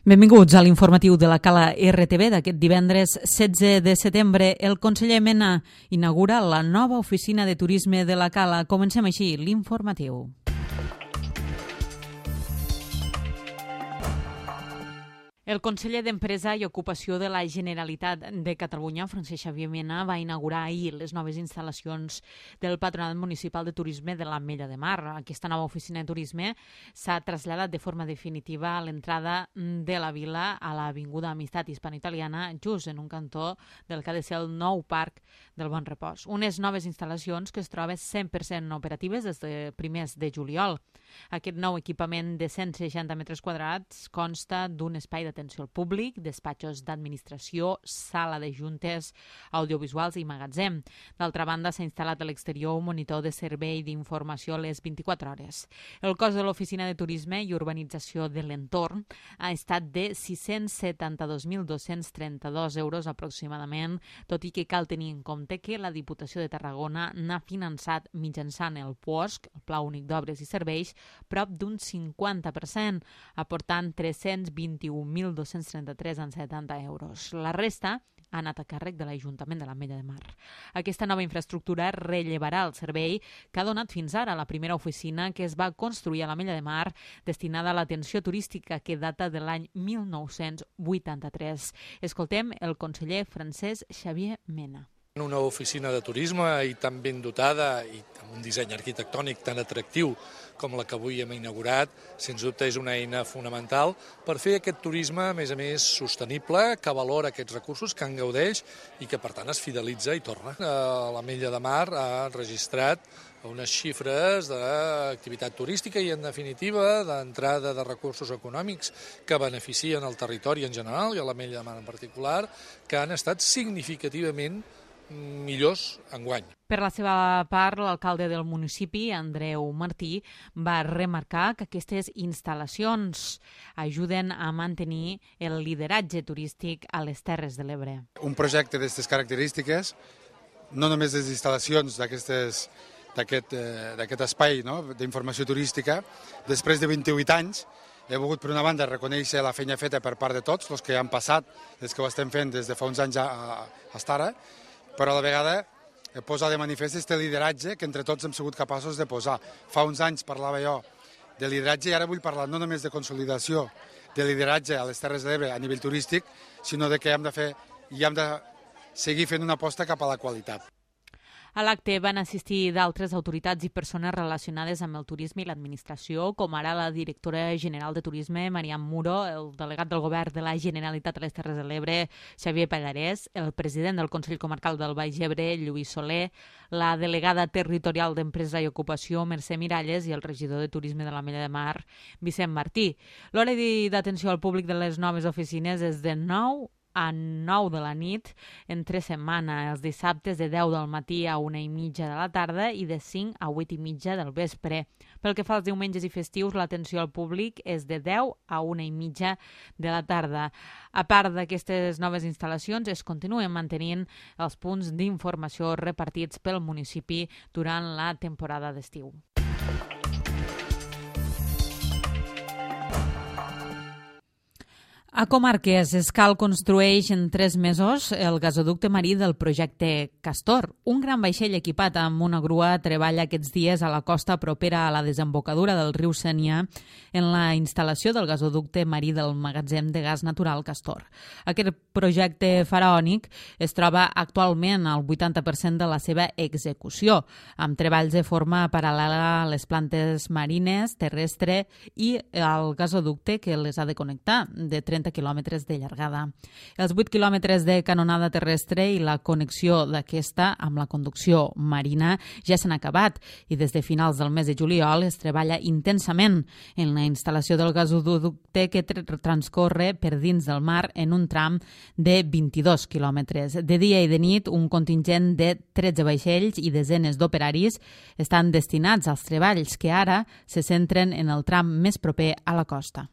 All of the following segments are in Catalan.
Benvinguts a l'informatiu de la Cala RTV d'aquest divendres 16 de setembre. El conseller Mena inaugura la nova oficina de turisme de la Cala. Comencem així l'informatiu. El conseller d'Empresa i Ocupació de la Generalitat de Catalunya, Francesc Xavier Mena, va inaugurar ahir les noves instal·lacions del Patronat Municipal de Turisme de l'Ametlla de Mar. Aquesta nova oficina de turisme s'ha traslladat de forma definitiva a l'entrada de la vila a l'Avinguda Amistat Hispano-Italiana, just en un cantó del que ha de ser el nou Parc del Bon Repòs. Unes noves instal·lacions que es troben 100% operatives des de primers de juliol. Aquest nou equipament de 160 metres quadrats consta d'un espai d'atenció al públic, despatxos d'administració, sala de juntes, audiovisuals i magatzem. D'altra banda, s'ha instal·lat a l'exterior un monitor de servei d'informació a les 24 hores. El cost de l'Oficina de Turisme i Urbanització de l'entorn ha estat de 672.232 euros aproximadament, tot i que cal tenir en compte que la Diputació de Tarragona n'ha finançat mitjançant el PUOSC, el Pla Únic d'Obres i Serveis, prop d'un 50%, aportant 321.233,70 euros. La resta ha anat a càrrec de l'Ajuntament de l'Ametlla de Mar. Aquesta nova infraestructura rellevarà el servei que ha donat fins ara la primera oficina que es va construir a l'Ametlla de Mar destinada a l'atenció turística que data de l'any 1983. Escoltem el conseller Francesc Xavier Mena. Una oficina de turisme i tan ben dotada i amb un disseny arquitectònic tan atractiu com la que avui hem inaugurat, sens dubte és una eina fonamental per fer aquest turisme, a més, sostenible, que valora aquests recursos, que en gaudeix i que, per tant, es fidelitza i torna. L'Ametlla de Mar ha registrat unes xifres d'activitat turística i, en definitiva, d'entrada de recursos econòmics que beneficien el territori en general i a l'Ametlla de Mar en particular, que han estat significativament millors enguany. Per la seva part, l'alcalde del municipi, Andreu Martí, va remarcar que aquestes instal·lacions ajuden a mantenir el lideratge turístic a les Terres de l'Ebre. Un projecte d'aquestes característiques, no només les instal·lacions d'aquest espai d'informació turística, després de 28 anys, he volgut, per una banda, reconèixer la feina feta per part de tots, els que han passat, els que ho estem fent des de fa uns anys fins ara, però a la vegada posa de manifest aquest lideratge que entre tots hem sigut capaços de posar. Fa uns anys parlava jo de lideratge i ara vull parlar no només de consolidació de lideratge a les Terres de l'Ebre a nivell turístic, sinó de que hem de seguir fent una aposta cap a la qualitat. A l'acte van assistir d'altres autoritats i persones relacionades amb el turisme i l'administració, com ara la directora general de Turisme, Mariam Muro, el delegat del Govern de la Generalitat a les Terres de l'Ebre, Xavier Pallarès, el president del Consell Comarcal del Baix Ebre, Lluís Soler, la delegada territorial d'Empresa i Ocupació, Mercè Miralles, i el regidor de Turisme de l'Ametlla de Mar, Vicent Martí. L'hora d'atenció al públic de les noves oficines és de 9 a 9 de la nit entre setmana, els dissabtes de 10 del matí a 1:30 de la tarda i de 5 a 8:30 del vespre. Pel que fa als diumenges i festius, l'atenció al públic és de 10 a 1:30 de la tarda. A part d'aquestes noves instal·lacions, es continuen mantenint els punts d'informació repartits pel municipi durant la temporada d'estiu. A Comarques, Escal construeix en 3 mesos el gasoducte marí del projecte Castor. Un gran vaixell equipat amb una grua treballa aquests dies a la costa propera a la desembocadura del riu Sénia en la instal·lació del gasoducte marí del magatzem de gas natural Castor. Aquest projecte faraònic es troba actualment al 80% de la seva execució, amb treballs de forma paral·lela a les plantes marines, terrestre i al gasoducte que les ha de connectar, de 30 quilòmetres de llargada. Els 8 quilòmetres de canonada terrestre i la connexió d'aquesta amb la conducció marina ja s'han acabat i des de finals del mes de juliol es treballa intensament en la instal·lació del gasoducte que transcorre per dins del mar en un tram de 22 quilòmetres. De dia i de nit, un contingent de 13 vaixells i desenes d'operaris estan destinats als treballs que ara se centren en el tram més proper a la costa.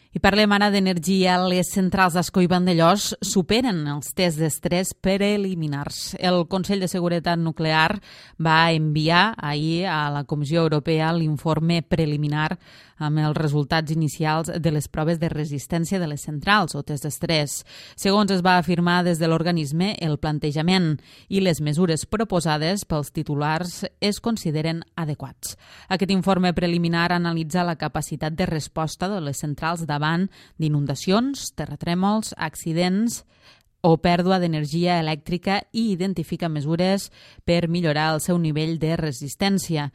I I parlem ara d'energia. Les centrals d'Ascó i Vandellòs superen els tests d'estrès preliminars. El Consell de Seguretat Nuclear va enviar ahir a la Comissió Europea l'informe preliminar amb els resultats inicials de les proves de resistència de les centrals o test d'estrès. Segons es va afirmar des de l'organisme, el plantejament i les mesures proposades pels titulars es consideren adequats. Aquest informe preliminar analitza la capacitat de resposta de les centrals davant d'inundacions, terratrèmols, accidents o pèrdua d'energia elèctrica i identifica mesures per millorar el seu nivell de resistència.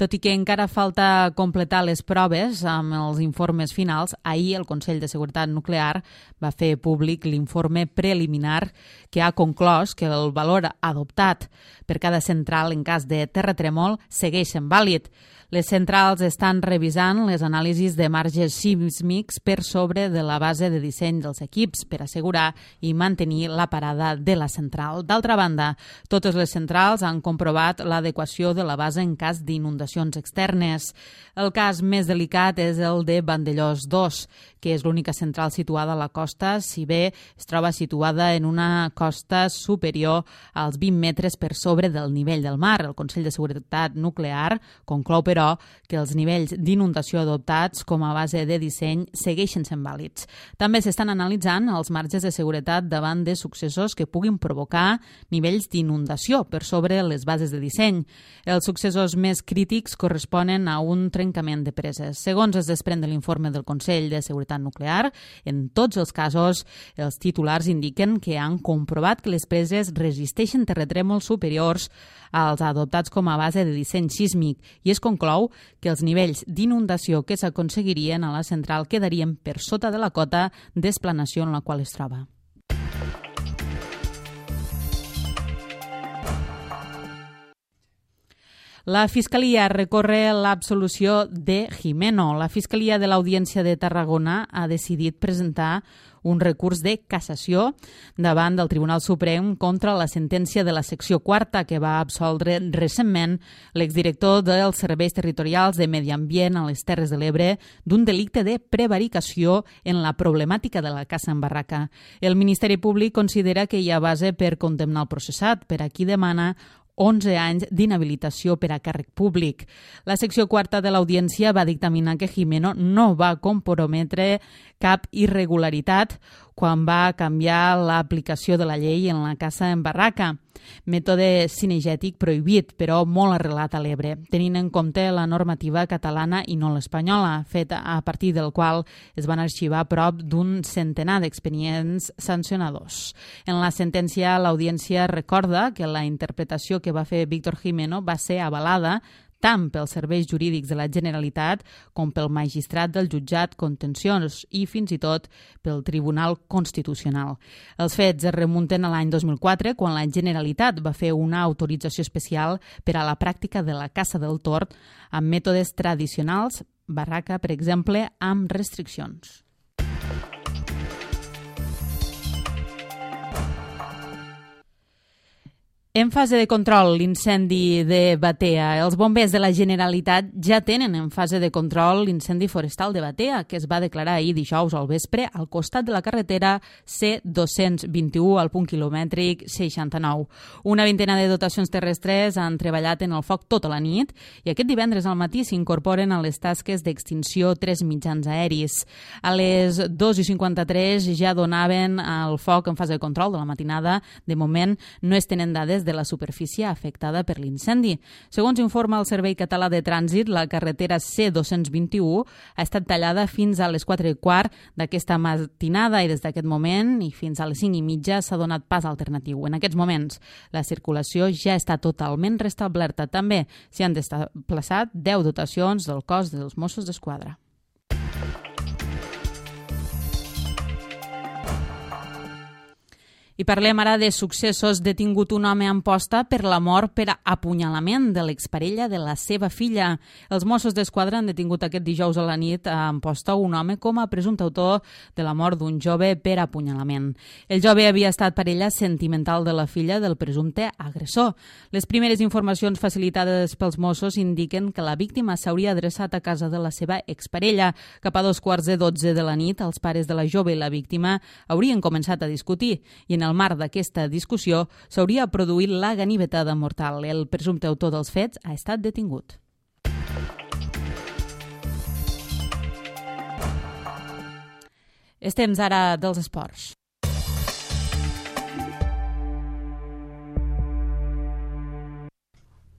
Tot i que encara falta completar les proves amb els informes finals, ahir el Consell de Seguretat Nuclear va fer públic l'informe preliminar que ha conclòs que el valor adoptat per cada central en cas de terratrèmol segueix sent vàlid. Les centrals estan revisant les anàlisis de marges sísmics per sobre de la base de disseny dels equips per assegurar i mantenir la parada de la central. D'altra banda, totes les centrals han comprovat l'adequació de la base en cas d'inundacions externes. El cas més delicat és el de Vandellòs 2, que és l'única central situada a la costa, si bé es troba situada en una costa superior als 20 metres per sobre del nivell del mar. El Consell de Seguretat Nuclear conclou, però, que els nivells d'inundació adoptats com a base de disseny segueixen sent vàlids. També s'estan analitzant els marges de seguretat davant de successos que puguin provocar nivells d'inundació per sobre les bases de disseny. Els successos més crítics corresponen a un trencament de preses. Segons es desprèn de l'informe del Consell de Seguretat Nuclear, en tots els casos, els titulars indiquen que han comprovat que les preses resisteixen terratrèmols superiors als adoptats com a base de disseny sísmic i es conclou que els nivells d'inundació que s'aconseguirien a la central quedarien per sota de la cota d'esplanació en la qual es troba. La Fiscalia recorre l'absolució de Gimeno. La Fiscalia de l'Audiència de Tarragona ha decidit presentar un recurs de cassació davant del Tribunal Suprem contra la sentència de la secció quarta que va absoldre recentment l'exdirector dels Serveis Territorials de Medi Ambient a les Terres de l'Ebre d'un delicte de prevaricació en la problemàtica de la caça en barraca. El Ministeri Públic considera que hi ha base per condemnar el processat, per a qui demana 11 anys d'inhabilitació per a càrrec públic. La secció quarta de l'Audiència va dictaminar que Gimeno no va comprometre cap irregularitat quan va canviar l'aplicació de la llei en la caça en barraca, mètode cinegètic prohibit, però molt arrelat a l'Ebre, tenint en compte la normativa catalana i no l'espanyola, feta a partir del qual es van arxivar prop d'un centenar d'expedients sancionadors. En la sentència, l'Audiència recorda que la interpretació que va fer Víctor Gimeno va ser avalada tant pels serveis jurídics de la Generalitat com pel magistrat del jutjat contenciós i fins i tot pel Tribunal Constitucional. Els fets es remunten a l'any 2004, quan la Generalitat va fer una autorització especial per a la pràctica de la caça del tord amb mètodes tradicionals, barraca, per exemple, amb restriccions. En fase de control, l'incendi de Batea. Els bombers de la Generalitat ja tenen en fase de control l'incendi forestal de Batea, que es va declarar ahir dijous al vespre al costat de la carretera C221 al punt quilomètric 69. Una vintena de dotacions terrestres han treballat en el foc tota la nit i aquest divendres al matí s'incorporen a les tasques d'extinció 3 mitjans aeris. A les 2:53 ja donaven el foc en fase de control de la matinada. De moment no es tenen dades de la superfície afectada per l'incendi. Segons informa el Servei Català de Trànsit, la carretera C221 ha estat tallada fins a les 4:15 d'aquesta matinada i des d'aquest moment i fins a les 5:30 s'ha donat pas alternatiu. En aquests moments, la circulació ja està totalment restablerta. També s'hi han desplaçat 10 dotacions del cos dels Mossos d'Esquadra. I parlem ara de successos. Detingut un home a Amposta per la mort per apunyalament de l'exparella de la seva filla. Els Mossos d'Esquadra han detingut aquest dijous a la nit a Amposta un home com a presumpte autor de la mort d'un jove per apunyalament. El jove havia estat parella sentimental de la filla del presumpte agressor. Les primeres informacions facilitades pels Mossos indiquen que la víctima s'hauria adreçat a casa de la seva exparella. Cap a 2:15 de la nit, els pares de la jove i la víctima haurien començat a discutir i en el marc d'aquesta discussió s'hauria produït la ganivetada mortal. El presumpte autor dels fets ha estat detingut. És temps ara dels esports.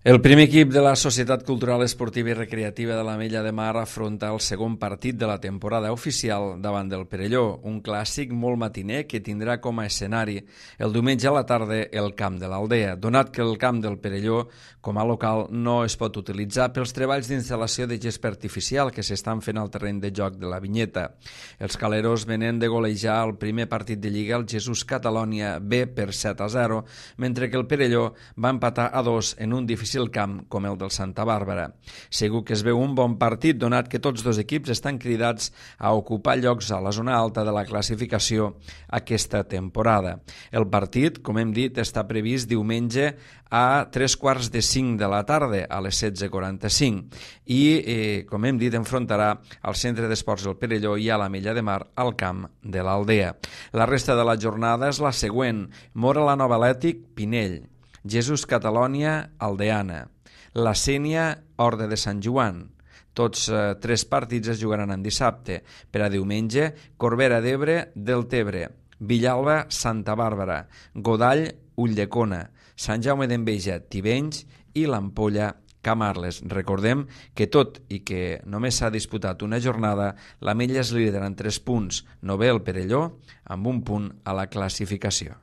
El primer equip de la Societat Cultural Esportiva i Recreativa de l'Ametlla de Mar afronta el segon partit de la temporada oficial davant del Perelló, un clàssic molt matiner que tindrà com a escenari el diumenge a la tarda el camp de l'Aldea, donat que el camp del Perelló com a local no es pot utilitzar pels treballs d'instal·lació de gespa artificial que s'estan fent al terreny de joc de la Vinyeta. Els caleros venen de golejar el primer partit de Lliga al Jesús Catalònia B per 7-0, mentre que el Perelló va empatar a 2 en un difícil camp com el del Santa Bàrbara. Segur que es veu un bon partit, donat que tots dos equips estan cridats a ocupar llocs a la zona alta de la classificació aquesta temporada. El partit, com hem dit, està previst diumenge a 3:45 de la tarda, a les 16:45, i, com hem dit, enfrontarà al Centre d'Esports del Perelló i a l'Ametlla de Mar al camp de l'Aldea. La resta de la jornada és la següent: Móra la Nova Atlètic, Pinell; Jesús Catalònia, Aldeana; la Sénia, Horta de Sant Joan. Tots tres partits es jugaran en dissabte. Per a diumenge, Corbera d'Ebre, Deltebre; Villalba, Santa Bàrbara; Godall, Ulldecona; Sant Jaume d'Enveja, Tivenys i l'Ampolla, Camarles. Recordem que tot i que només s'ha disputat una jornada, l'Ametlla és líder en 3 punts, novè el Perelló, amb 1 punt a la classificació.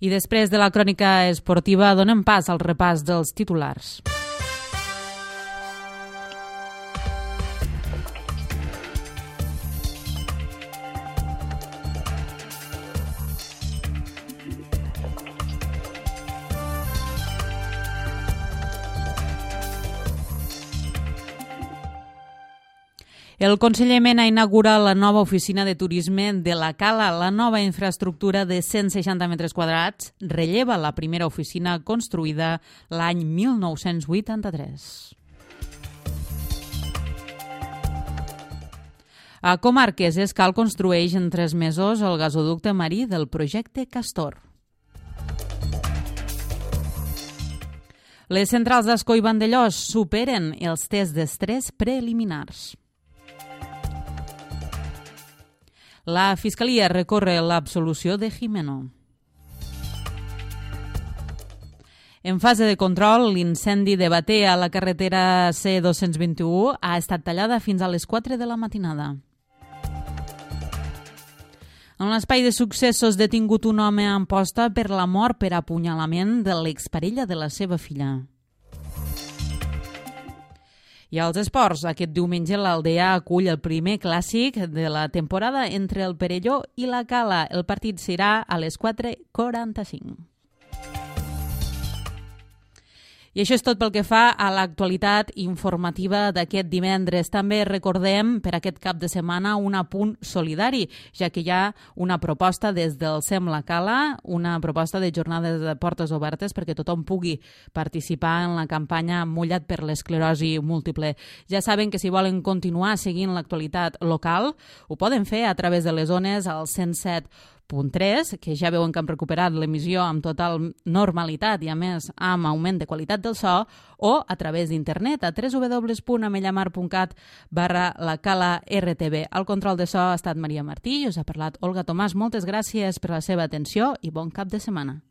I després de la crònica esportiva donem pas al repàs dels titulars. El conseller Mena inaugura la nova oficina de turisme de la Cala. La nova infraestructura de 160 metres quadrats relleva la primera oficina construïda l'any 1983. A Comarques, Escal construeix en 3 mesos el gasoducte marí del projecte Castor. Les centrals d'Ascó i Vandellòs superen els tests d'estrès preliminars. La Fiscalia recorre l'absolució de Jimeno. En fase de control, l'incendi de Bater a la carretera C221 ha estat tallada fins a les 4 de la matinada. En l'espai de successos, detingut un home a Amposta per la mort per apunyalament de l'exparella de la seva filla. I als esports, aquest diumenge l'Aldea acull el primer clàssic de la temporada entre el Perelló i la Cala. El partit serà a les 4:45. I això és tot pel que fa a l'actualitat informativa d'aquest divendres. També recordem per aquest cap de setmana un apunt solidari, ja que hi ha una proposta des del SEM La Cala, una proposta de jornades de portes obertes perquè tothom pugui participar en la campanya Mullat per l'esclerosi múltiple. Ja saben que si volen continuar seguint l'actualitat local, ho poden fer a través de les ones al 107.3, que ja veuen que hem recuperat l'emissió amb total normalitat i a més amb augment de qualitat del so, o a través d'internet a www.amellamar.cat/lacala-rtb. Al control de so ha estat Maria Martí i us ha parlat Olga Tomàs. Moltes gràcies per la seva atenció i bon cap de setmana.